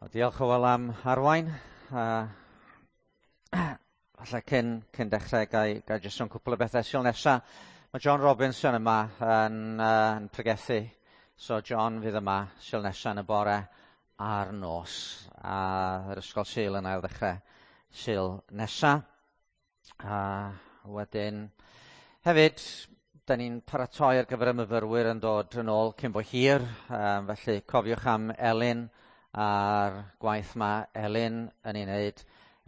Wel, diolch Hywel am arwain. Falle cyn dechrau, ga i jyst sôn cwpl o bethau. Sul nesa, mae John Robinson yma yn pregethu. So John fydd yma Sul nesa yn y bore a'r nos. A yr ysgol Sul yn ail ddechrau Sul nesa. A wedyn hefyd, da ni'n paratoi ar gyfer y myfyrwyr yn dod yn ôl cyn bo hir. Felly cofiwch am Elin a'r gwaith mae Elin yn ei wneud.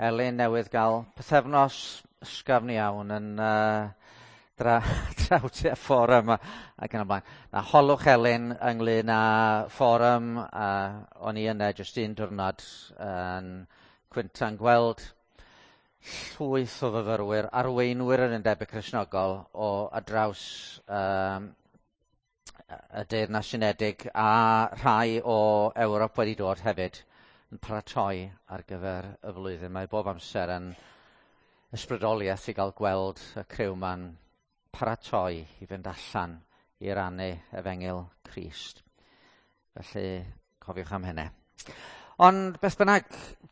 Elin newydd gael pythefnos ysgafn iawn yn draw tua fforwm ac yn y blaen. Na, holwch Elin ynglyn â fforwm, a o'n i yna jyst un diwrnod yn cwynta'n gweld llwyth o fyfyrwyr, arweinwyr yr Undebau Cristnogol o ar draws y Deyrnas Unedig a rhai o Ewrop wedi dod hefyd yn paratoi ar gyfer y flwyddyn. Mae bob amser yn ysbrydoliaeth i gael gweld y criw ma'n paratoi i fynd allan i rannu efengyl Crist. Felly, cofiwch am hynny. Ond beth bynnag,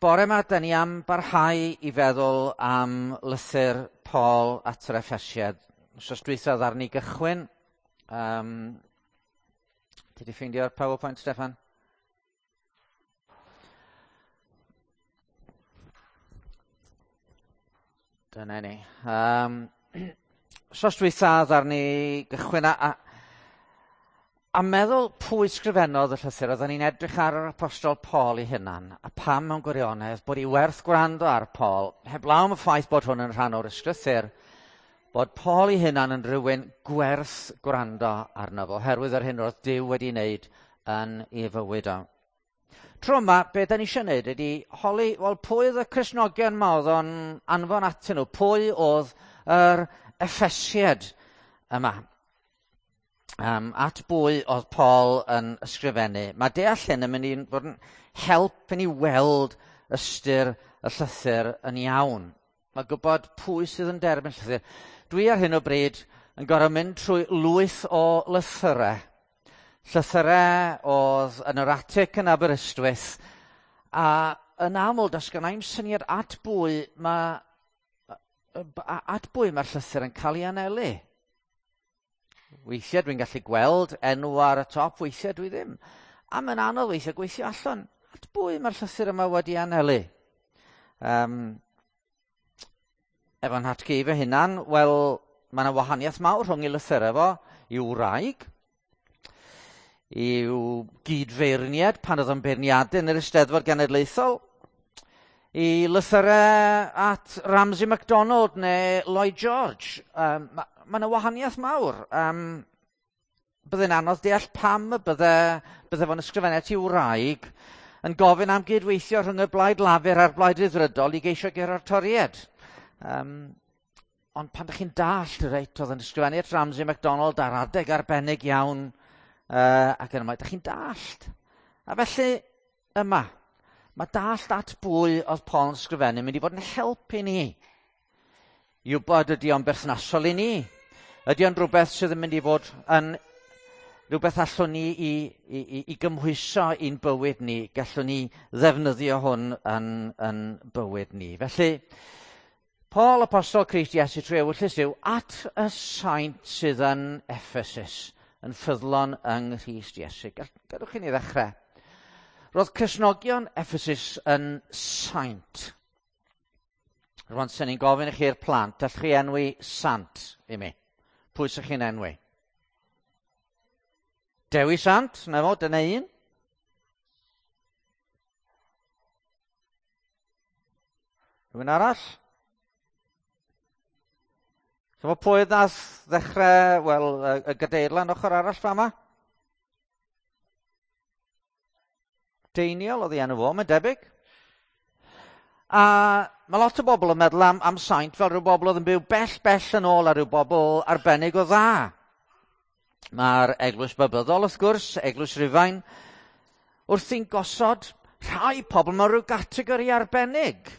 bore yma, da ni am barhau i feddwl am lythyr Paul at yr Effesiaid. Wsos dwytha ddaru ni gychwyn. Ti di ffeindio'r PowerPoint, Steffan? Dyna ni. Wsos dwytha ddaru ni gychwyn a meddwl pwy sgrifennodd y llythyr. Oedden ni'n edrych ar yr Apostol Paul ei hunan, a pam mewn gwirionedd bod hi werth gwrando ar Paul, heblaw am y ffaith bod hwn yn rhan o'r ysgrythur, bod Paul ei hunan yn rhywun gwerth gwrando arno fo, oherwydd yr hyn oedd Duw wedi wneud yn ei fywyd o. Tro yma, be da ni eisiau wneud ydy holi, wel, pwy oedd y Cristnogion yma oedd o'n anfon atyn nhw? Pwy oedd yr Effesiaid yma? At bwy oedd Paul yn ysgrifennu? Mae deall hyn yn mynd i fod yn help i ni weld ystyr y llythyr yn iawn. Mae gwybod pwy sydd yn derbyn llythyr. Dwi ar hyn o bryd yn gorfod mynd trwy lwyth o lythyrau. Llythyrau oedd yn yr atig yn Aberystwyth, a yn aml does gynna i'm syniad at bwy mae'r llythyr yn cael ei anelu. Weithiau dwi'n gallu gweld enw ar y top, weithiau dwi ddim. A mae'n anodd weithiau gweithio allan at bwy mae'r llythyr yma wedi anelu. Efo'n nhatgu fy hunan, wel, mae yna wahaniaeth mawr rhwng ei lythyrau fo i'w wraig, i'w gydfeirniad pan oedd o'n beirniadu yn yr Eisteddfod Genedlaethol, i lythyrau at Ramsay MacDonald neu Lloyd George. Ma' yna wahaniaeth mawr. Byddai'n anodd deall pam y bydde fo'n ysgrifennu at i'w wraig yn gofyn am gydweithio rhwng y Blaid Lafur a'r Blaid Ryddfrydol i geisio guro'r Torïaid. Ond pan ydych chi'n dallt, reit, oedd yn ysgrifennu at Ramsay MacDonald ar adeg arbennig iawn, ac yn ymlaen, ydych chi'n dallt. A felly, yma, mae dallt at bwy oedd Paul yn ysgrifennu mynd i fod yn help i ni. I wybod ydy o'n berthnasol i ni. Ydy o'n rhywbeth sydd yn mynd i fod yn rhywbeth allwn ni i gymhwyso i'n bywyd ni, gallwn ni ddefnyddio hwn yn bywyd ni. Felly, Paul, Apostol Crist Iesu trwy ewyllys Duw, at y saint sydd yn Ephesus, yn ffyddlon yng Nghrist Iesu. Gadewch i ni ddechrau. Roedd Cristnogion Ephesus yn saint. Rwan, sen i'n gofyn i chi'r plant, allwch chi enwi sant i mi? Pwy sy'ch chi'n enwi? Dewi Sant, na fo, dyna un. Rhywun arall? Chymod pwy nath ddechrau, wel, y gadeirlan ochr arall fama? Deiniol oedd ei enw fo, mae'n debyg. A mae lot o bobl yn meddwl am saint fel rhyw bobl oedd yn byw bell, bell yn ôl a rhyw bobl arbennig o dda. Mae'r Eglwys Babyddol, wrth gwrs, Eglwys Rufain, wrthi'n gosod rhai pobl mewn rhyw gategori arbennig.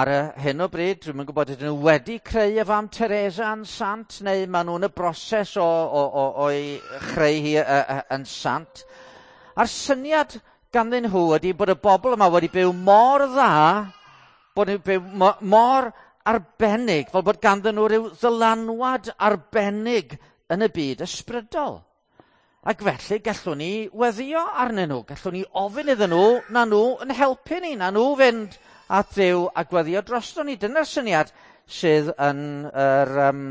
Ar y hyn o bryd, dwi'm yn gwybod ydyn nhw wedi creu y fam Teresa yn sant, neu maen nhw'n y broses o'i chreu hi yn sant. A'r syniad ganddyn nhw ydy bod y bobl yma wedi byw mor dda, bod nhw'n byw mor arbennig, fel bod ganddyn nhw rhyw ddylanwad arbennig yn y byd ysbrydol. Ac felly gallwn ni weddio arnyn nhw, gallwn ni ofyn iddyn nhw na nhw yn helpu ni, na nhw fynd at Dduw a gweddio drosto ni. Dyna'r syniad sydd yn yr, um,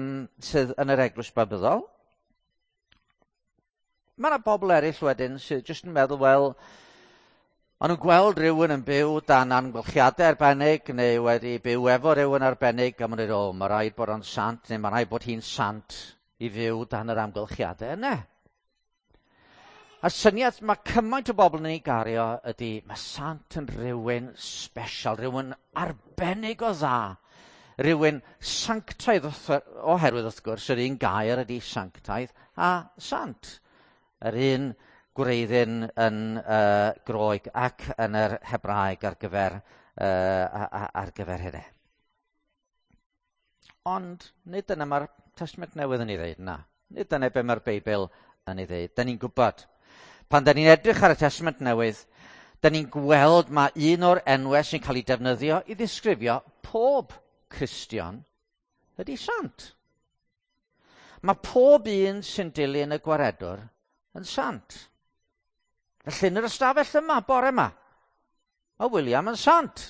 sydd yn yr eglwys babyddol. Mae yna bobl eraill wedyn sydd jyst yn meddwl, wel, maen nhw'n gweld rhywun yn byw dan amgylchiadau arbennig neu wedi byw efo rhywun arbennig a maen nhw'n dweud, o, mae rhaid bod o'n sant neu mae rhaid bod hi'n sant i fyw dan yr amgylchiadau yna. A'r syniad mae cymaint o bobl yn ei gario ydy mae sant yn rhywun special, rhywun arbennig o dda, rhywun sanctaidd oherwydd wrth gwrs yr un gair ydy sanctaidd a sant. Yr un gwreiddyn yn uh, Groeg ac yn yr Hebraeg ar gyfer, uh, ar gyfer hynny. Ond nid dyna mae'r Testament Newydd yn ei ddeud, na. Nid dyna be mae'r Beibl yn ei ddeud. Da ni'n gwybod. Pan da ni'n edrych ar y Testament Newydd, da ni'n gweld mae un o'r enwau sy'n cael ei defnyddio i ddisgrifio pob Cristion ydy sant. Mae pob un sy'n dilyn y gwaredwr yn sant. Felly yn yr ystafell yma, bore yma, mae William yn sant.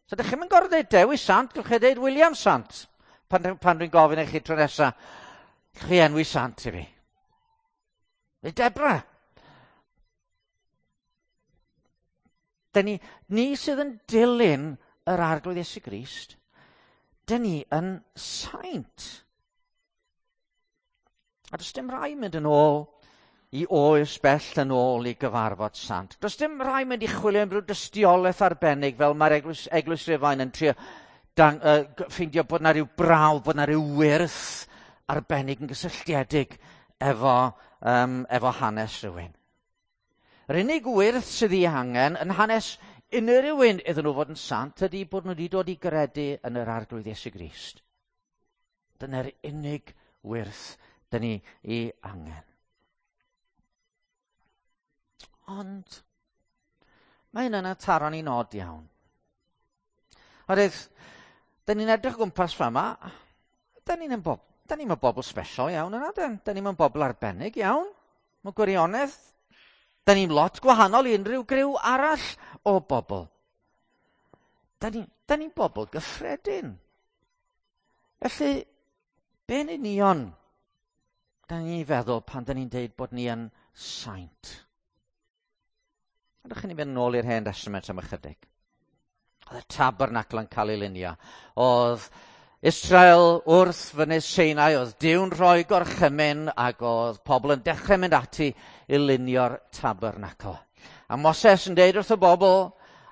So ydych chi'n gorfod dweud Dewi Sant, gallwch chi dweud William Sant. Pan, pan dwi'n gofyn i chi tro nesaf, chi enwi Sant i fi. Neu Debra. Dyn ni, ni sydd yn dilyn yr Arglwydd Iesu Grist, dyn ni yn saint. A does dim rhaid mynd yn ôl i oes bell yn ôl i gyfarfod sant. Does dim rhaid mynd i chwilio am ryw dystiolaeth arbennig fel mae'r eglwys, eglwys Rufain yn trio dang, uh, ffeindio bod na rhyw brawf, bod na rhyw wyrth arbennig yn gysylltiedig efo, um, efo hanes rhywun. Yr unig wyrth sydd ei angen yn hanes unrhyw un iddyn nhw fod yn sant ydy bod nhw wedi dod i gredu yn yr Arglwydd Iesu Grist. Dyna'r unig wyrth dyn ni ei angen. Ond mae hynny'n taro ni'n od iawn. Oherwydd, dyn ni'n edrych o gwmpas fama, dyn ni'n bob, dyn ni'n bobl special iawn yna, dyn, dyn ni'n bobl arbennig iawn. Mae gwirionedd, dyn ni'n lot gwahanol i unrhyw griw arall o bobl. Dyn ni'n ni, ni bobl gyffredin. Felly, be'n union da ni'n feddwl pan da ni'n deud bod ni yn saint? Ydych chi'n mynd nôl i'r hen Testament am ychydig. Oedd y tabernacl yn cael ei lunio. Oedd Israel wrth fynydd Sinai, oedd Duw'n rhoi gorchymyn ac oedd pobl yn dechrau mynd ati i lunio'r tabernacl. A Moses yn deud wrth y bobl,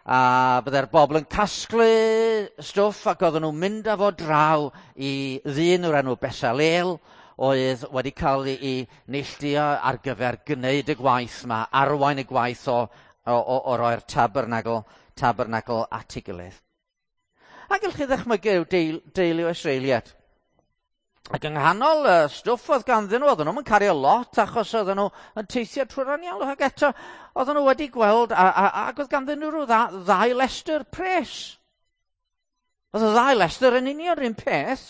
a byddai'r bobl yn casglu stwff ac oedden nhw'n mynd â fo draw i ddyn o'r enw Besalel, oedd wedi cael ei neilltuo ar gyfer gwneud y gwaith yma, arwain y gwaith o, o, o, o roi'r tabernagl, tabernagl at ei gilydd. A gallwch chi ddychmygu deil, deulu o Israeliad. Ac yng nghanol y stwff oedd ganddyn nhw, oedden nhw'n cario lot achos oedden nhw yn teithio trwy'r anialwch ac eto oedden nhw wedi gweld a, a, ac oedd ganddyn nhw rhyw dda, ddau lestr pres. Oedd y ddau lestr yn union yr un peth,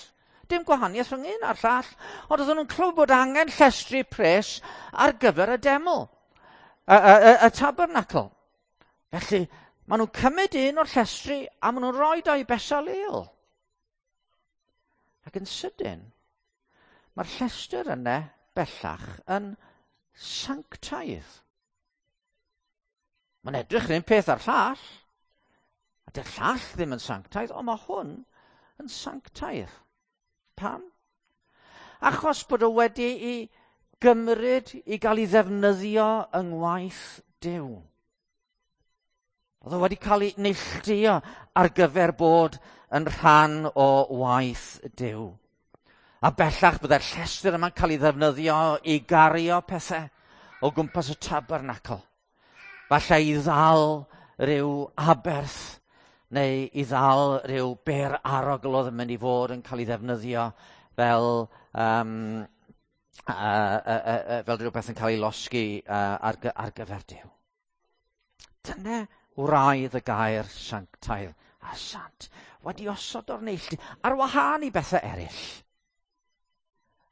dim gwahaniaeth rhwng un a'r llall, ond oedden nhw'n clywed bod angen llestri pres ar gyfer y deml, y, y, y, y tabernacl. Felly, maen nhw'n cymryd un o'r llestri a maen nhw'n rhoi o i Besaleel. Ac yn sydyn, mae'r llestr yna bellach yn sanctaidd. Mae'n edrych yr un peth ar llall. A dy'r llall ddim yn sanctaidd, ond mae hwn yn sanctaidd. Pam? Achos bod o wedi ei gymryd i gael ei ddefnyddio yng ngwaith Duw. Oedd o wedi cael ei neilltuo ar gyfer bod yn rhan o waith Duw. A bellach byddai'r llestr yma'n cael ei ddefnyddio i gario pethau o gwmpas y tabernacl. Falle i ddal rhyw aberth neu i ddal rhyw ber arogl oedd yn mynd i fod yn cael ei ddefnyddio fel, um, Fel rhywbeth yn cael ei losgi ar gyfer Duw. Dyna wraidd y gair sanctaidd a sant, wedi osod o'r neilltu, ar wahân i bethau eraill,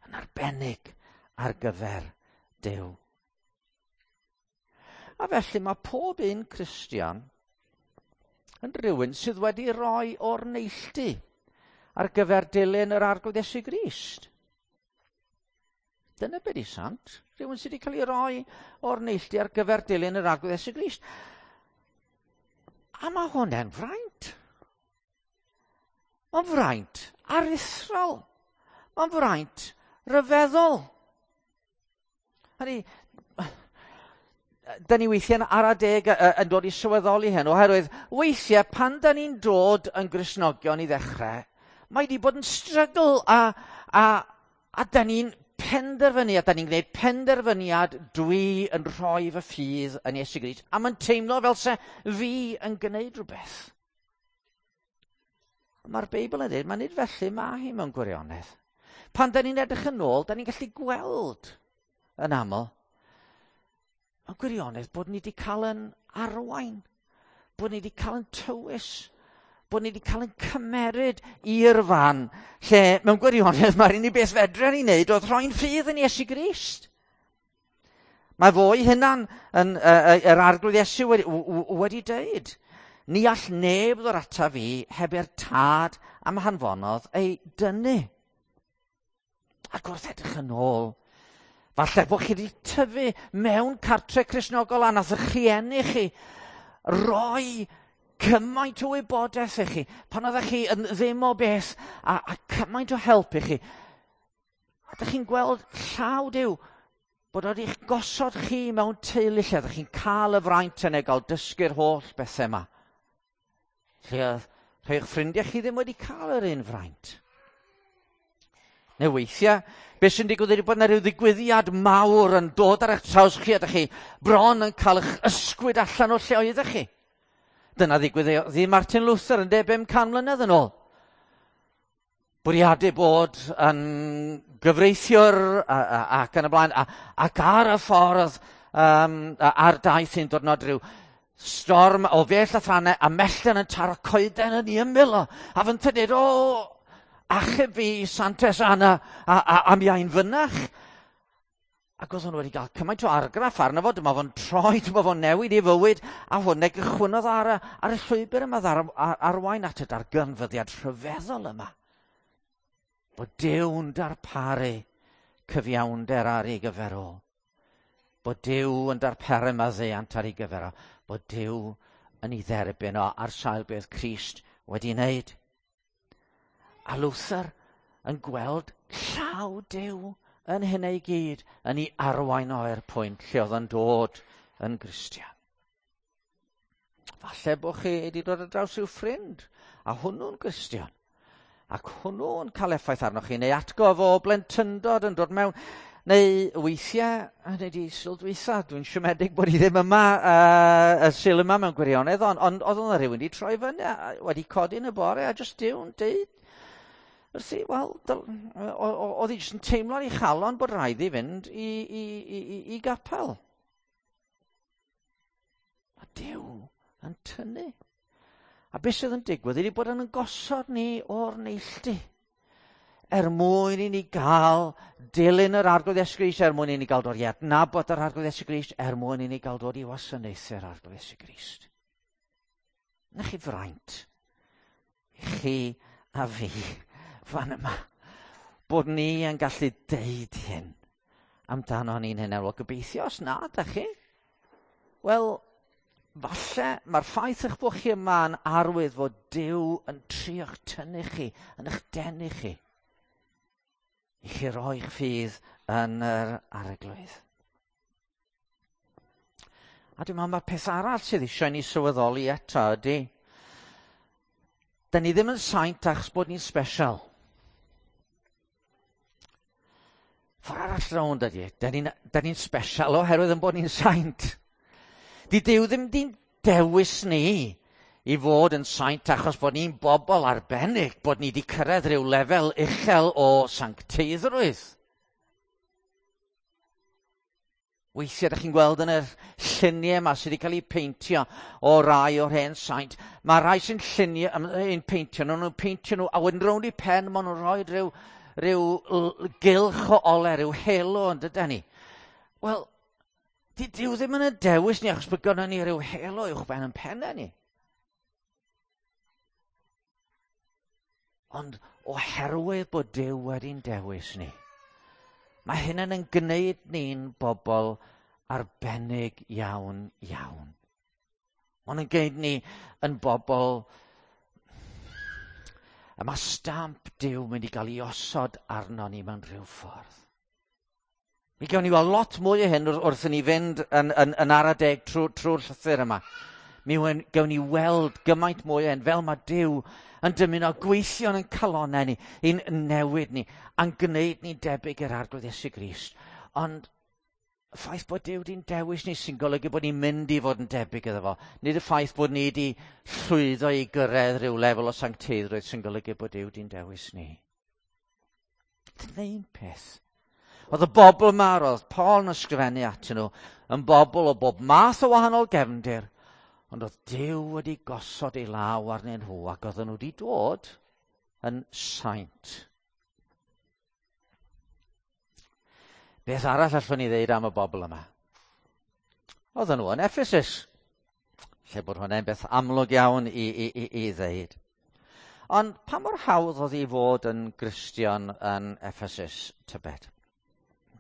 yn arbennig ar gyfer Duw. A felly mae pob un Cristion yn rhywun sydd wedi rhoi o'r neilltu ar gyfer dilyn yr Arglwydd Iesu Grist. Dyna beth i sant. Rhywun sydd wedi cael ei roi o'r neilltu ar gyfer dilyn yr Arglwydd Iesu Grist. A mae hwnna'n fraint. Mae'n fraint aruthrol. Mae'n fraint ryfeddol. Hynny, da ni weithiau'n ara deg yn dod i sylweddoli hyn, oherwydd weithiau pan da ni'n dod yn Gristnogion i ddechrau, mae wedi bod yn strygl a da ni'n penderfynu, a da ni'n gwneud penderfyniad, dwi yn rhoi fy ffydd yn Iesu Grist, a mae'n teimlo fel se fi yn gwneud rhywbeth. Mae'r Beibl yn dweud, mae nid felly mae hi mewn gwirionedd. Pan da ni'n edrych yn ôl, da ni'n gallu gweld yn aml, mewn gwirionedd bod ni wedi cael yn arwain, bod ni wedi cael yn tywys, bod ni wedi cael yn cymeryd i'r fan lle mewn gwirionedd mae'r unig beth fedra ni wneud oedd rhoi'n ffydd yn Iesu Grist. Mae fo ei hunan yn yr Arglwydd Iesu wedi dweud, ni all neb ddod ata fi heb i'r tad am hanfonodd ei dynnu. Ac wrth edrych yn ôl, falle bod chi wedi tyfu mewn cartre Cristnogol a nath eich rhieni chi roi cymaint o wybodaeth i chi, pan oeddech chi yn ddim o beth, a cymaint o help i chi. A ydych chi'n gweld llaw Duw, bod o wedi'ch gosod chi mewn teulu lle ydych chi'n cael y fraint yna gael dysgu'r holl bethau yma. Lle oedd rhai o'ch ffrindiau chi ddim wedi cael yr un fraint. Neu weithiau, beth sy'n digwydd ydy bod yna rhyw ddigwyddiad mawr yn dod ar eich traws chi a ydych chi bron yn cael eich ysgwyd allan o'r lle oeddech chi. Dyna ddigwyddodd i Martin Luther yn 500 mlynedd yn ôl. Bwriadu bod yn gyfreithiwr ac yn y blaen, ac ar y ffordd, ar daith un diwrnod rhyw storm o fell a thrannau a mellten yn taro coeden yn ei ymyl o. A fy'n dweud, o, achub fi, Santes Anna, a mi ai'n fynach. Ac oedd hwn wedi cael cymaint o argraff arno fo, dyma fo'n troi, dyma fo'n newid ei fywyd, a hwn e gychwynnodd ar y llwybr yma arwain at y darganfyddiad rhyfeddol yma. Bod Duw'n darparu cyfiawnder ar ei gyfer o. Bod Duw yn darparu maddeuant ar ei gyfer o. Bod Duw yn ei dderbyn o ar sail beth Crist wedi wneud. A Luther yn gweld llaw Duw yn hynny i gyd, yn ei arwain o i'r pwynt lle oedd yn dod yn Gristion. Falle bod chi wedi dod ar draws rhyw ffrind, a hwnnw'n Gristion, ac hwnnw'n cael effaith arnoch chi, neu atgof o blentyndod yn dod mewn, neu weithiau, neu di Sul dwytha, dwi'n siomedig bod i ddim yma, y Sul yma mewn gwirionedd, ond oedd yna rhywun wedi troi fyny, wedi codi yn y bore, a jyst Duw'n deud, wrthi, wel, oedd hi jyst yn teimlo ar ei chalon bod rhaid i fynd i gapel. Mae Duw yn tynnu. A beth sydd yn digwydd ydy bod yn gosod ni o'r neilltu. Er mwyn i ni gael dilyn yr Arglwydd Iesu Grist, er mwyn i ni gael dod i adnabod yr Arglwydd Iesu Grist, er mwyn i ni gael dod i wasanaethu'r Arglwydd Iesu Grist. Na chi fraint, chi a fi, fan yma, bod ni yn gallu deud hyn amdano ni'n hynny. Wel, gobeithio os na, da chi. Wel, falle mae'r ffaith eich bod chi yma yn arwydd fod Duw yn trio'ch tynnu chi, yn eich denu chi, i chi roi'ch ffydd yn yr Arglwydd. A dwi'n meddwl mae'r peth arall sydd eisiau ni sylweddoli eto ydy, da ni ddim yn saint achos bod ni'n special. Ffordd arall rownd ydy, da ni'n special oherwydd yn bod ni'n saint. Di Duw ddim di'n dewis ni i fod yn saint achos bod ni'n bobl arbennig, bod ni wedi cyrraedd rhyw lefel uchel o sancteiddrwydd. Weithiau, ydych chi'n gweld yn y lluniau yma sydd wedi cael eu peintio o rai o'r hen saint, mae rai sy'n lluniau, yn peintio nhw, nhw'n peintio nhw, a wedyn rownd i pen maen nhw'n rhoi rhyw gylch o ole, rhyw halo yn dydyn ni. Wel, di Duw ddim yn y dewis ni achos bod gynnon ni rhyw halo uwch ben yn pennau ni. Ond oherwydd bod Duw wedi'n dewis ni, mae hynny'n yn gwneud ni'n bobl arbennig iawn, iawn. Mae'n yn gwneud ni yn bobl. A mae stamp Duw mynd i gael ei osod arno ni mewn rhyw ffordd. Mi gawn ni weld lot mwy o hyn wrth i ni fynd yn ara deg trwy'r llythyr yma. Mi gawn ni weld gymaint mwy o hyn, fel mae Duw yn dymuno gweithio yn calonau ni, i'n newid ni, a'n gwneud ni'n debyg i'r Arglwydd Iesu Grist. Ond y ffaith bod Duw wedi'n dewis ni sy'n golygu bod ni'n mynd i fod yn debyg iddo fo. Nid y ffaith bod ni wedi llwyddo i gyrraedd rhyw lefel o sancteiddrwydd sy'n golygu bod Duw wedi'n dewis ni. Dyna un peth. Oedd y bobl yma, roedd Paul yn ysgrifennu atyn nhw, yn bobl o bob math o wahanol gefndir, ond oedd Duw wedi gosod ei law arnyn nhw ac oedden nhw wedi dod yn saint. Beth arall allwn ni ddeud am y bobl yma? Oedden nhw yn Ephesus, lle bod hwnna'n beth amlwg iawn i ddeud. Ond pa mor hawdd oedd i fod yn Gristion yn Ephesus, tybed?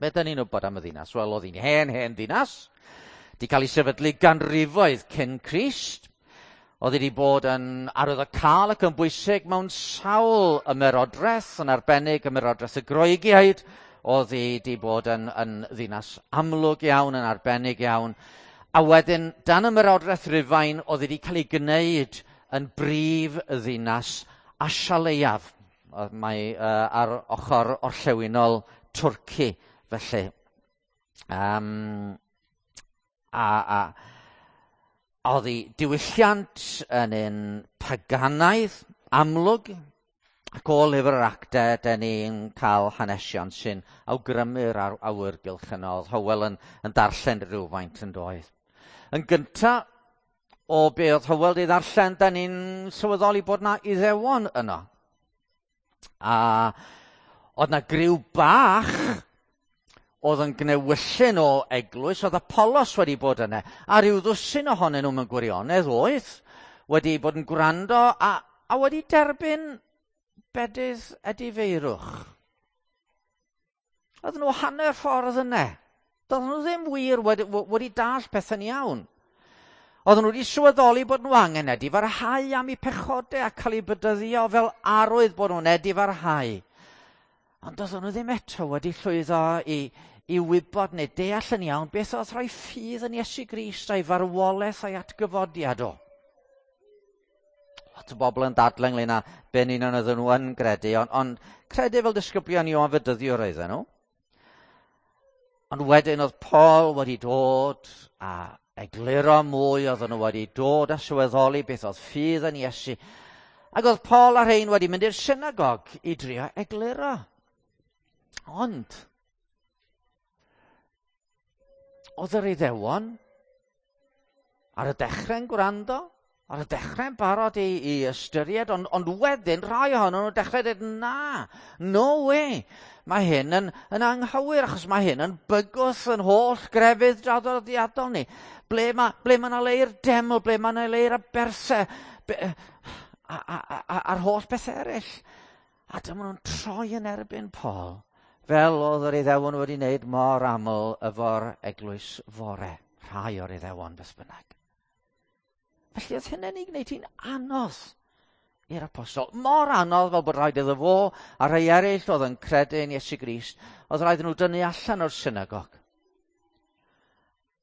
Be dyn ni'n wybod am y ddinas? Wel, oedd hi'n hen, hen ddinas. Di cael ei sefydlu ganrifoedd cyn Crist. Oedd wedi bod yn arwyddocaol ac yn bwysig mewn sawl ymerodraeth, yn arbennig ymerodraeth y Groegiaid. Oedd hi wedi bod yn ddinas amlwg iawn, yn arbennig iawn. A wedyn, dan ymerodraeth Rufain, oedd wedi cael ei gwneud yn brif ddinas Asia Leiaf. Mae ar ochr orllewinol Twrci, felly. A oedd ei diwylliant yn un paganaidd, amlwg, ac o lyfr yr actau, dyn ni'n cael hanesion sy'n awgrymu'r awyrgylch yno. Oedd Hywel yn darllen rhywfaint yn doedd. Yn gynta, o be oedd Hywel wedi ddarllen, dyn ni'n sylweddoli bod na Iddewon yno. A oedd na griw bach oedd yn gnewyllyn o eglwys, oedd Apollos wedi bod yna, a rhyw ddwsin ohonyn nhw mewn gwirionedd oedd wedi bod yn gwrando a wedi derbyn bedydd edifeirwch. Oedden nhw hanner ffordd yna. Doedden nhw ddim wir wedi dall pethau'n iawn. Oedden nhw wedi sylweddoli bod nhw angen edifarhau am eu pechodau a cael eu bedyddio fel arwydd bod nhw'n edifarhau. Ond doedden nhw ddim eto wedi llwyddo i wybod neu deall yn iawn beth oedd rhoi ffydd yn Iesu Grist a'i farwolaeth a'i atgyfodiad o. Lot o bobl yn dadlau ynglyn â be'n union oedden nhw yn gredu, ond credu fel disgyblion Ioan Fedyddiwr oedden nhw. Ond wedyn oedd Paul wedi dod a egluro mwy, oedden nhw wedi dod a sylweddoli beth oedd ffydd yn Iesu. Ac oedd Paul a rhein wedi mynd i'r synagog i drio egluro. Ond oedd yr Iddewon ar y dechrau'n gwrando, ar y dechrau'n barod i ystyried, ond wedyn rhai ohonyn nhw'n dechrau dweud, na, no way, mae hyn yn anghywir, achos mae hyn yn bygwth yn holl grefydd draddodiadol ni. Ble mae 'na le i'r deml, ble mae 'na le i'r aberthau, a'r holl beth eraill. A dyma nhw'n troi yn erbyn Paul, fel oedd yr Iddewon wedi wneud mor aml efo'r eglwys fore, rhai o'r Iddewon beth bynnag. Felly oedd hynny'n ei gwneud hi'n anodd i'r apostol. Mor anodd fel bod rhaid iddo fo a rhai eraill oedd yn credu yn Iesu Grist, oedd rhaid nhw dynnu allan o'r synagog.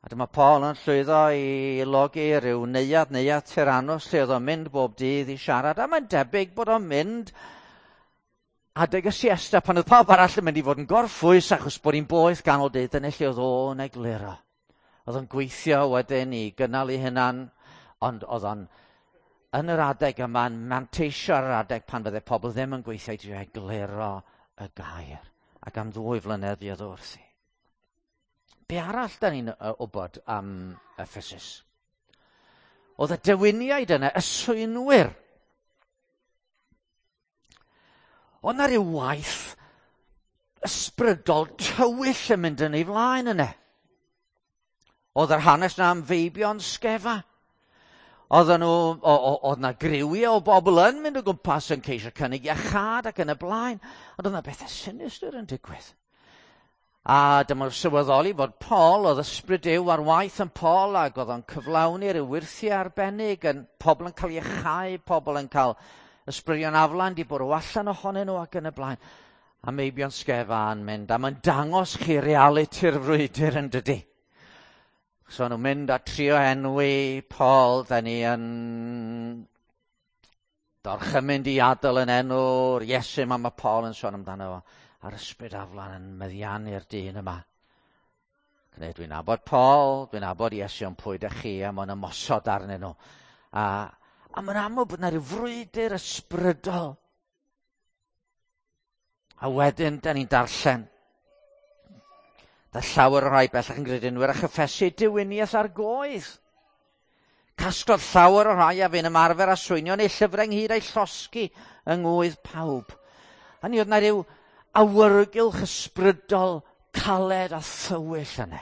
A dyma Paul yn llwyddo i logi rhyw neuadd Tyrannus lle oedd o'n mynd bob dydd i siarad, a mae'n debyg bod o'n mynd adeg y siesta pan oedd pawb arall yn mynd i fod yn gorffwys achos bod hi'n boeth ganol dydd, dyna lle oedd o'n egluro. Oedd o'n gweithio wedyn i gynnal ei hunan, ond oedd o'n yn yr adeg yma'n manteisio ar yr adeg pan fydde pobl ddim yn gweithio i drio egluro y gair. Ac am 2 flynedd fuodd o wrthi. Be arall da ni'n wybod am Ephesus? Oedd y dewiniaid yna, y swynwyr. Oedd na ryw waith ysbrydol tywyll yn mynd yn ei flaen yna. Oedd yr hanes na am feibion Sgefa. Oedden nhw, oedd na griwiau o bobl yn mynd o gwmpas yn ceisio cynnig iachâd ac yn y blaen, ond oedd na bethau sinistr yn digwydd. A dyma'r sylweddoli fod Paul, oedd ysbryd Duw ar waith yn Paul, ac oedd o'n cyflawni rhyw wyrthiau arbennig, yn pobl yn cael iachau, pobl yn cael ysbrydion aflan di bwrw allan ohonyn nhw ac yn y blaen. A meibion Sgefa yn mynd, a mae'n dangos chi realiti'r frwydr yn dydy. So nhw'n mynd a trio enwi Paul, da ni yn dorchymyn i adael yn enw'r Iesu ma mae Paul yn sôn amdano fo. A'r ysbryd aflan yn meddiannu'r dyn yma. Gwneud, dwi'n nabod Paul, dwi'n nabod Iesu, ond pwy ydych chi, a mae'n ymosod arnyn nhw. A, a mae'n amlwg bod yna rhyw frwydr ysbrydol. A wedyn, da ni'n darllen. Da llawer o rai bellach yn gredinwyr a chyffesu diwyniaeth ar goedd. Casglodd llawer o rhai a fu'n ymarfer a swynion neu llyfrau ynghyd a'i llosgi yng ngwydd pawb. A ni oedd na ryw awyrgylch ysbrydol caled a thywyll yna.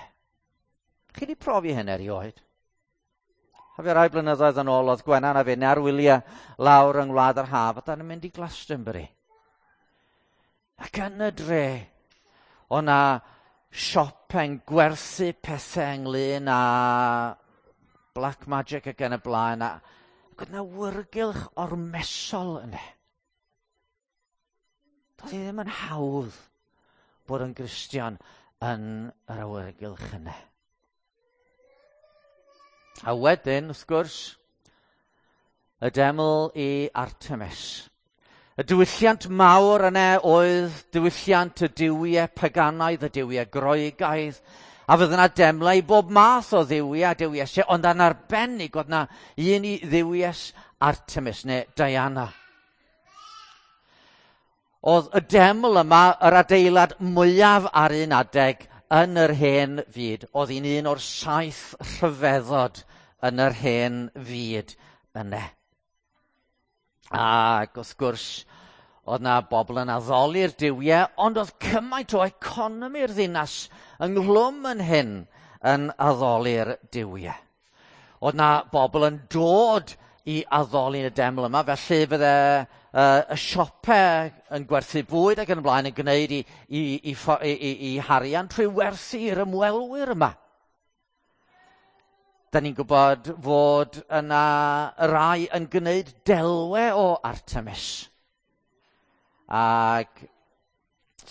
Chi wedi profi hyn erioed? A fe rai blynyddoedd yn ôl oedd Gwenan a finne ar wyliau lawr yng Ngwlad yr Haf a da ni'n mynd i Glastonbury. Ac yn y dre, o na siopau'n gwerthu pethau ynglyn â black magic ac yn y blaen. A, ac oedd na wyrgylch ormesol yna. Doedd hi ddim yn hawdd bod yn Gristion yn yr awyrgylch yna. A wedyn, wrth gwrs, y deml i Artemis. Y diwylliant mawr yna oedd diwylliant y duwiau paganaidd, y duwiau Groegaidd, a fydd yna demlau i bob math o dduwiau a duwiesau, ond yn arbennig oedd yna un i dduwies Artemis, neu Diana. Oedd y deml yma yr adeilad mwyaf ar un adeg yn yr hen fyd. Oedd hi'n un o'r saith rhyfeddod yn yr hen fyd yna. Ac wrth gwrs, oedd na bobl yn addoli'r duwiau, ond oedd cymaint o economi'r ddinas ynghlwm yn hyn yn addoli'r duwiau. Oedd na bobl yn dod i addoli yn y deml yma, felly fydde y siopau yn gwerthu bwyd ac yn y blaen yn gwneud i, i, i, i, i, i harian trwy werthu i'r ymwelwyr yma. Da ni'n gwybod fod yna rai yn gwneud delwe o Artemis. Ac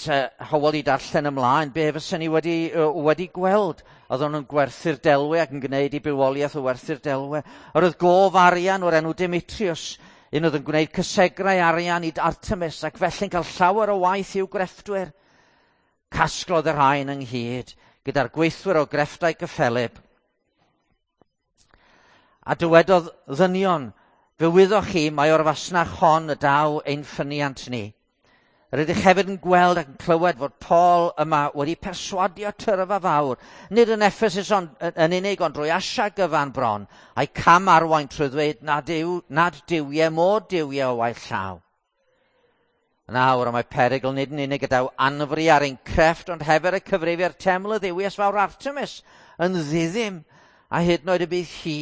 te Hywel i darllen ymlaen, be fysen ni wedi, wedi gweld? Oedden nhw'n gwerthu'r delwe ac yn gwneud i bywoliaeth o werthu'r delwe. Yr oedd gof arian o'r enw Demetrius, un oedd yn gwneud cysegrau arian i Artemis ac felly'n cael llawer o waith i'w grefftwyr. Casglodd y rhain ynghyd gyda'r gweithwyr o grefftau gyffelyb. A dywedodd ddynion, fe wyddoch chi mai o'r fasnach hon y daw ein ffyniant ni. Rydych hefyd yn gweld ac yn clywed fod Paul yma wedi perswadio tyrfa fawr, nid yn Ephesus ond, yn unig, ond drwy Asia gyfan bron, a'i cam arwain trwy ddweud nad, yw, nad duwiau mor duwiau o waith llaw. Nawr, mae perygl nid yn unig gyda anfri ar ein crefft, ond hefyd y cyfrifiad teml y dduwies fawr Artemis yn ddiddim, a hyd yn oed y bydd hi,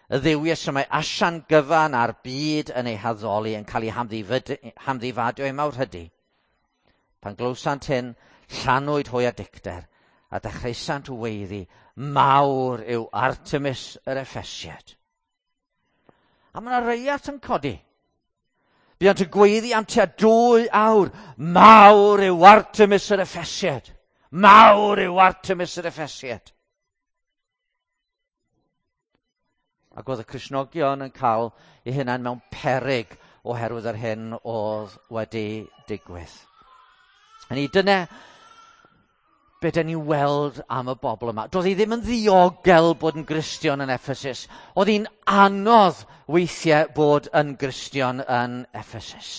y dduwies y mae Asian gyfan a'r byd yn ei haddoli yn cael ei hamddifadio ei mawrhydi. Pan glywsant hyn, llanwyd hwy â dicter, a dechreusant weiddi, mawr yw Artemis yr Effesiad. A mae yna reiat yn codi. Buont yn gweiddi am tua dwy awr, mawr yw Artemis yr Effesiad. Mawr yw Artemis yr Effesiad. Ac oedd y Cristnogion yn cael eu hunain mewn peryg oherwydd yr hyn oedd wedi digwydd. Hynny, dyna be dyn ni'n weld am y bobl yma. Doedd hi ddim yn ddiogel bod yn Gristion yn Ephesus. Oedd hi'n anodd weithiau bod yn Gristion yn Ephesus.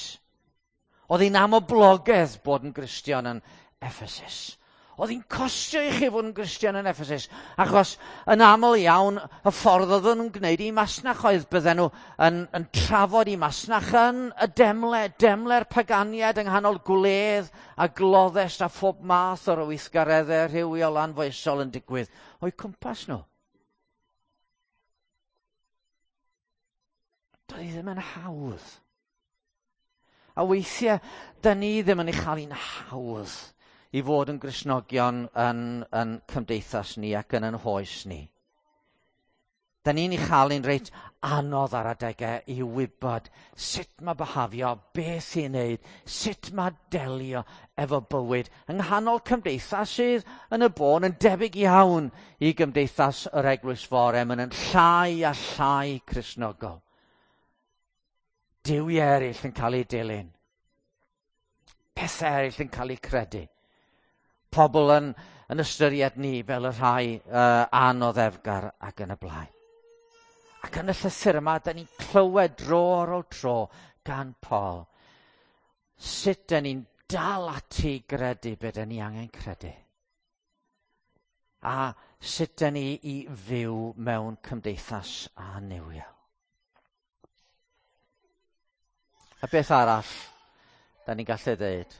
Oedd hi'n amoblogedd bod yn Gristion yn Ephesus. Oedd hi'n costio i chi fod yn Gristion yn Ephesus, achos yn aml iawn y ffordd oedden nhw'n gwneud i masnach oedd bydden nhw yn trafod i masnach yn y demle, demle'r paganiad yng nghanol gwledd a gloddest a phob math o'r weithgareddau rhywiol anfoesol yn digwydd o'u cwmpas nhw. Doedd hi ddim yn hawdd. A weithiau, da ni ddim yn ei chael hi'n hawdd i fod yn Gristnogion yn cymdeithas ni ac yn hoes ni. Da ni'n ei chael hi'n reit anodd ar adegau i wybod sut mae byhafio, beth i'n wneud, sut mae delio efo bywyd yng nghanol cymdeithas sydd yn y bôn yn debyg iawn i gymdeithas yr Eglwys Fore, maen nhw'n llai a llai Cristnogol. Duwiau eraill yn cael eu dilyn. Pethau eraill yn cael eu credu. Pobl yn ystyried ni fel y rhai anoddefgar ac yn y blaen. Ac yn y llythyr yma, da ni'n clywed dro ar ôl tro gan Paul sut da ni'n dal ati i gredu be da ni angen credu. A sut da ni i fyw mewn cymdeithas annuwiol. A beth arall da ni'n gallu dweud?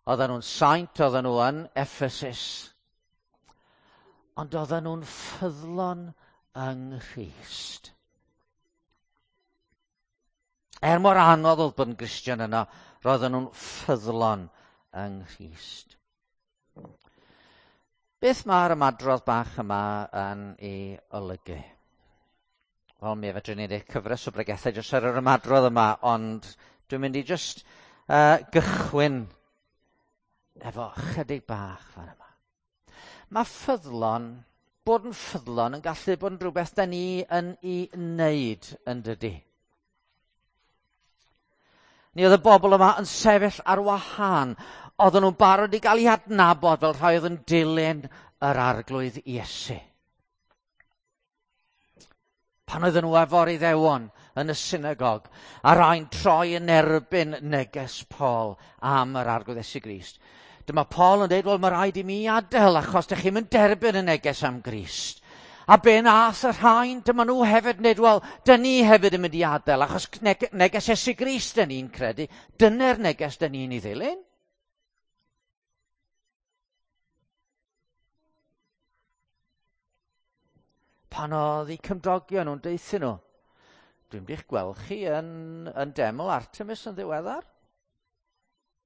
Oedden nhw'n saint, oedden nhw yn Ephesus, ond oedden nhw'n ffyddlon yng Nghrist. Er mor anodd oedd bod yn Gristion yno, roedden nhw'n ffyddlon yng Nghrist. Beth mae'r ymadrodd bach yma yn ei olygu? Wel, mi fedrwn ni wneud cyfres o bregethau jyst ar yr ymadrodd yma, ond dwi'n mynd i jyst gychwyn efo chydig bach fan yma. Mae ffyddlon, bod yn ffyddlon yn gallu bod yn rhywbeth da ni yn ei wneud yn dydy. Ni oedd y bobl yma yn sefyll ar wahân. Oedden nhw'n barod i gael eu adnabod fel rhai oedd yn dilyn yr Arglwydd Iesu. Pan oedden nhw efo'r Iddewon yn y synagog, a rhai'n troi yn erbyn neges Paul am yr Arglwydd Iesu Grist. Dyma Paul yn dweud, wel, mae rhaid i mi adael achos dych chi'm yn derbyn y neges am Grist. A be nath y rhain, dyma nhw hefyd yn dweud, wel, dyn ni hefyd yn mynd i adael achos neges Iesu Grist dyn ni'n credu. Dyna'r neges dyn ni'n ei ddilyn. Pan oedd eu cymdogion nhw'n deuthu nhw, dwi'n mynd i'ch gweld chi yn deml Artemis yn ddiweddar.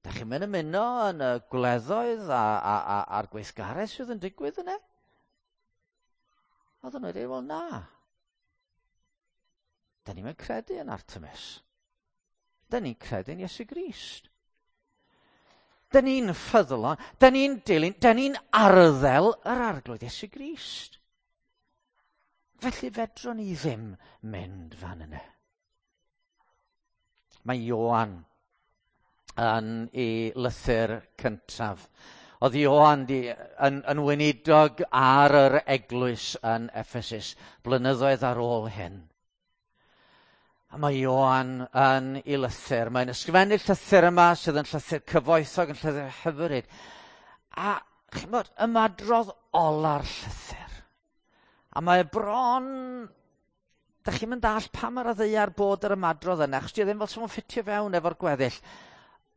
Da chi'n mynd ymuno yn y gwleddoedd a'r gweithgaredd sydd yn digwydd yna? Oedden nhw'n dweud, wel na. Da ni'n mynd credu yn Artemis. Da ni'n credu yn Iesu Grist. Da ni'n ffyddlon, da ni'n dilyn, da ni'n arddel yr Arglwydd Iesu Grist. Felly fedrwn ni ddim mynd fan yna. Mae Ioan yn ei lythyr cyntaf. Oedd Ioan yn weinidog ar yr eglwys yn Ephesus blynyddoedd ar ôl hyn. A mae Ioan yn ei lythyr. Mae'n ysgrifennu'r llythyr yma sydd yn llythyr cyfoethog, yn llythyr hyfryd. A chimod, ymadrodd ola'r llythyr. A mae bron, da chi'n mynd all pam ar y ddaear bod yr ymadrodd yna, achos di o ddim fel sy'n ffitio fewn efo'r gweddill.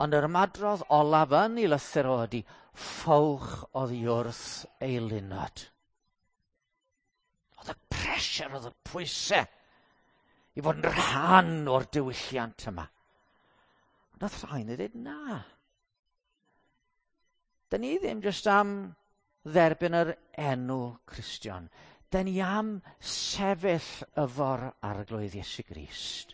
Ond yr ymadrodd olaf yn ei lythyr o ydi, ffowch oddi wrth eilunod. Oedd y pressure, oedd y pwysau i fod yn rhan o'r diwylliant yma. Ond oedd rhain yn dweud na. Da ni ddim jyst am dderbyn yr enw Cristion. Da ni am sefyll efo'r Arglwydd Iesu Grist.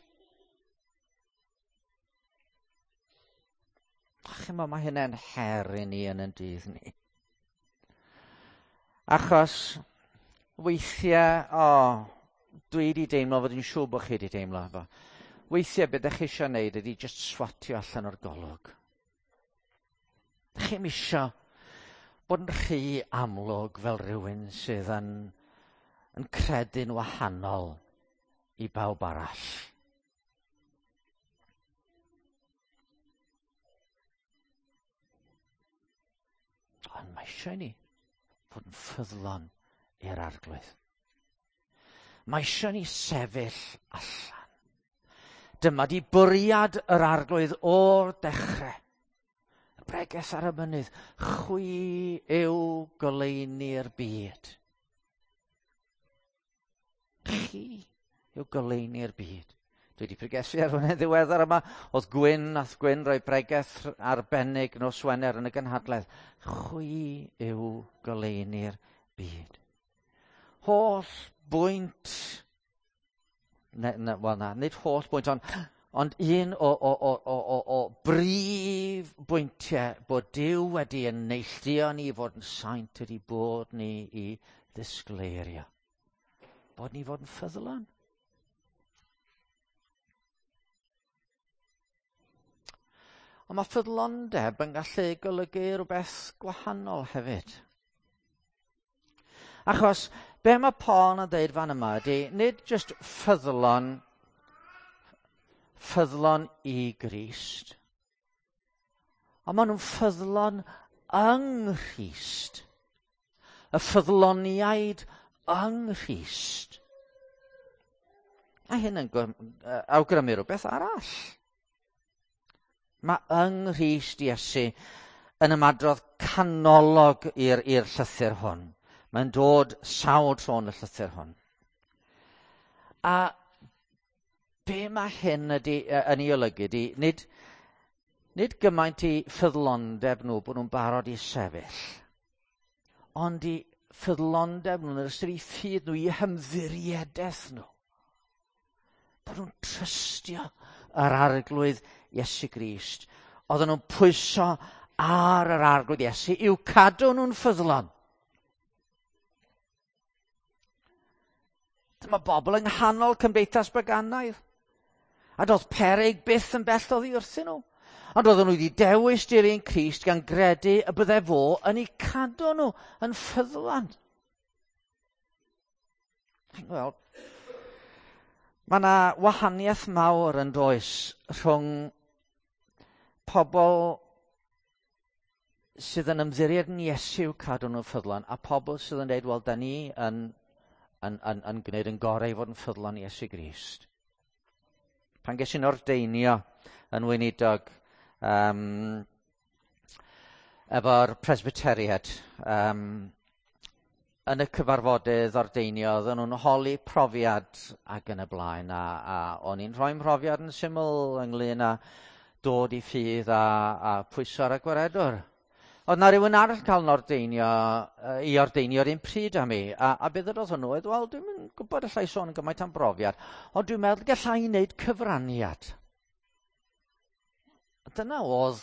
Chimod, mae hynny'n her i ni yn ein dydd ni. Achos weithiau, dwi wedi deimlo, fod yn siŵr bod chi wedi deimlo efo. Weithiau, beth ydych chi eisiau gwneud ydy just swatio allan o'r golwg. Dych chi'm isio bod yn rhy amlwg fel rhywun sydd yn credu'n wahanol i bawb arall. Ond mae Mae eisiau ni fod yn ffyddlon i'r Arglwydd. Mae eisiau ni sefyll allan. Dyma di bwriad yr Arglwydd o'r dechrau. Y bregeth ar y mynydd, chwi yw goleuni'r byd. Chi yw goleuni'r byd. Dwi wedi pregethu ar hwnna'n ddiweddar yma. Oedd Gwyn, nath Gwyn roi bregeth arbennig nos Wener yn y gynhadledd. Chwi yw goleuni'r byd. Holl bwynt, ne, ne, wel na, nid holl bwynt, ond un o brif bwyntiau bod Duw wedi yn neilltuo ni i fod yn saint ydy bod ni i ddisgleirio. Bod ni fod yn ffyddlon. Ond mae ffyddlondeb yn gallu golygu rhywbeth gwahanol hefyd. Achos be mae Paul yn dweud fan yma ydy, nid jyst ffyddlon i Grist, ond maen nhw'n ffyddlon yng Nghrist. Y ffyddloniaid yng Nghrist. A hyn yn awgrymu rhywbeth arall. Mae yng Nghrist Iesu yn ymadrodd canolog i'r llythyr hwn. Mae'n dod sawl tro yn y llythyr hwn. A be mae hyn ydy, yn ei olygu ydy, nid gymaint i ffyddlondeb nhw bod nhw'n barod i sefyll, ond i ffyddlondeb nhw'n yr ystyr i ffydd nhw, i hymddiriedaeth nhw. Bod nhw'n trystio yr Arglwydd Iesu Grist. Oedden nhw'n pwyso ar yr Arglwydd Iesu i'w cadw nhw'n ffyddlon. Dyma bobl yng nghanol cymdeithas baganaidd. A doedd peryg byth yn bell oddi wrthyn nhw. Ond oedden nhw wedi dewis dilyn Crist gan gredu y bydde fo yn eu cadw nhw yn ffyddlon. Wel, mae yna wahaniaeth mawr yn does rhwng pobl sydd yn ymddiried yn Iesu i'w cadw nhw'n ffyddlon a pobl sydd yn dweud, wel, da ni yn gwneud yn gorau i fod yn ffyddlon i Iesu Grist. Pan ges i'n ordeinio yn weinidog efo'r Presbyteriad, yn y cyfarfodydd ordeinio, oedden nhw'n holi profiad ac yn y blaen, a o'n i'n rhoi mhrofiad yn syml ynglyn â dod i ffydd a pwyso ar y gwaredwr. Oedd na rhywun arall cael yn ordeinio, i ordeinio'r un pryd â mi, a beth oedd hwnnw oedd, wel, dwi'm yn gwybod allai sôn gymaint am brofiad, ond dwi'n meddwl gallai i wneud cyfraniad. A dyna oedd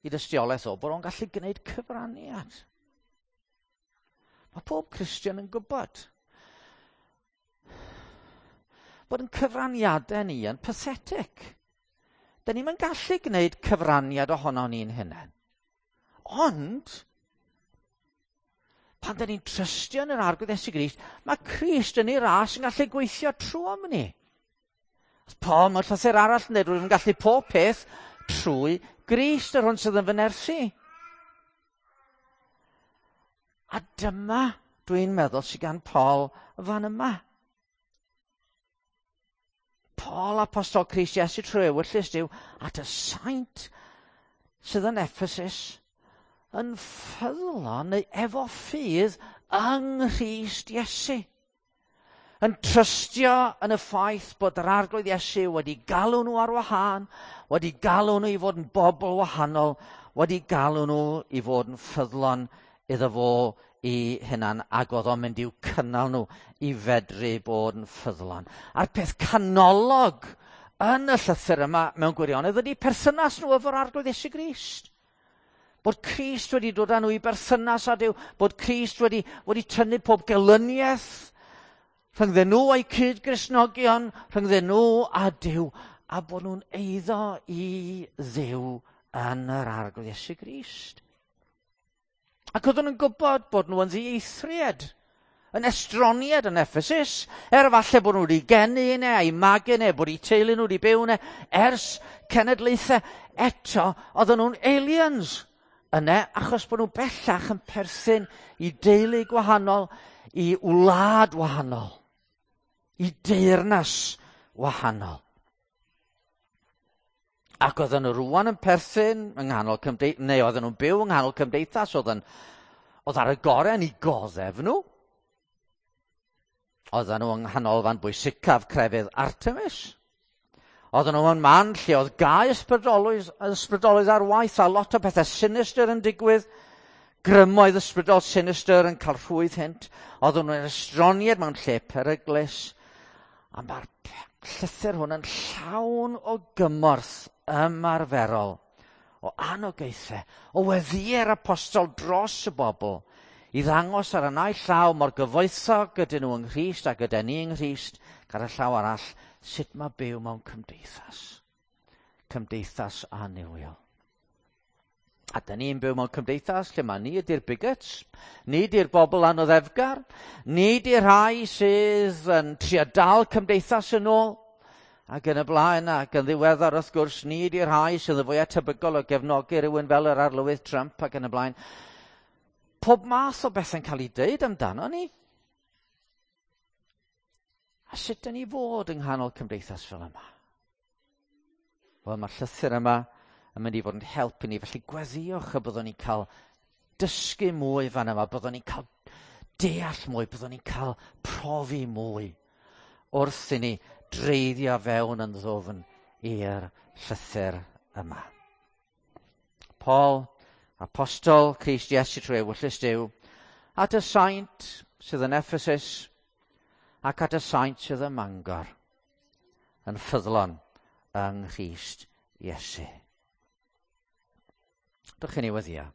i dystiolaeth o, bod o'n gallu gwneud cyfraniad. Mae pob Cristion yn gwybod bod yn cyfraniadau ni yn pathetic. Da ni'm yn gallu gwneud cyfraniad ohono ni'n hunain. Ond, pan da ni'n trystio yn yr Arglwydd Iesu Grist, mae Crist yn ei ras yn gallu gweithio trwy ni. Paul, mae'r llythyr arall yn dweud, rwy'n gallu pob peth trwy Grist, yr hwn sydd yn fy nerthu. A dyma, dwi'n meddwl, sydd gan Paul fan yma. Paul, apostol Crist Iesu trwy ewyllys Duw, at y saint sydd yn Ephesus, yn ffyddlon neu efo ffydd yng Nghrist Iesu. Yn trystio yn y ffaith bod yr Arglwydd Iesu wedi galw nhw ar wahân, wedi galw nhw i fod yn bobl wahanol, wedi galw nhw i fod yn ffyddlon iddo fo i hunan, ac oedd o'n mynd i'w cynnal nhw i fedru bod yn ffyddlon. A'r peth canolog yn y llythyr yma mewn gwirionedd ydy perthynas nhw efo'r Arglwydd Iesu Grist. Bod Crist wedi dod â nhw i berthynas â Duw, bod Crist wedi tynnu pob gelyniaeth rhyngddyn nhw a'i cyd-Gristnogion, rhyngddyn nhw a Duw, a bod nhw'n eiddo i Dduw yn yr Arglwydd Iesu Grist. Ac oedden nhw'n gwybod bod nhw yn ddieithriad, yn estroniad yn Ephesus, er falle bod nhw wedi geni yna, a'i magu yna, bod eu teulu nhw wedi byw yna, ers cenedlaethau eto, oedden nhw'n aliens yna, achos bod nhw bellach yn perthyn i deulu gwahanol, i wlad wahanol, i deyrnas wahanol. Ac oedden nhw rwan yn perthyn yng nghanol cymdeithas, neu oedden nhw'n byw yng nghanol cymdeithas, oedd, yn, oedd ar y gorau yn eu goddef nhw. Oedden nhw yng nghanolfan bwysicaf crefydd Artemis. Oedden nhw yn man lle oedd gau ysbrydolwydd, ysbrydolwydd ar waith a lot o bethau sinistr yn digwydd. Grymoedd ysbrydol sinistr yn cael rhwydd hynt. Oedden nhw'n estroniad mewn lle peryglus. A mae'r llythyr hwn yn llawn o gymorth ymarferol, o anogaethau, o weddiau'r apostol dros y bobl, i ddangos ar y naill llaw mor gyfoethog ydyn nhw yng Nghrist a gyda ni yng Nghrist, ar y llaw arall, sut mae byw mewn cymdeithas. Cymdeithas annuwiol. A da ni'n byw mewn cymdeithas lle mae ni ydy'r bigots, ni ydy'r bobl anoddefgar, ni ydy'r rhai sydd yn trio dal cymdeithas yn ôl, ac yn y blaen, ac yn ddiweddar wrth gwrs, ni ydy'r rhai sydd yn fwyaf tebygol o gefnogi rhywun fel yr arlywydd Trump ac yn y blaen. Pob math o bethau'n cael ei deud amdano ni. A sut dyn ni fod yng nghanol cymdeithas fel yma? Wel, mae'r llythyr yma yn mynd i fod yn helpu ni, felly gweddiwch y byddwn ni'n cael dysgu mwy fan yma, byddwn ni'n cael deall mwy, byddwn ni'n cael profi mwy wrth i ni dreiddio fewn yn ddwfn i'r llythyr yma. Paul, apostol Crist Iesu trwy ewyllys Duw, at y saint sydd yn Ephesus ac at y saint sydd ym Mangor, yn ffyddlon yng Nghrist Iesu. Dwch i ni weddio.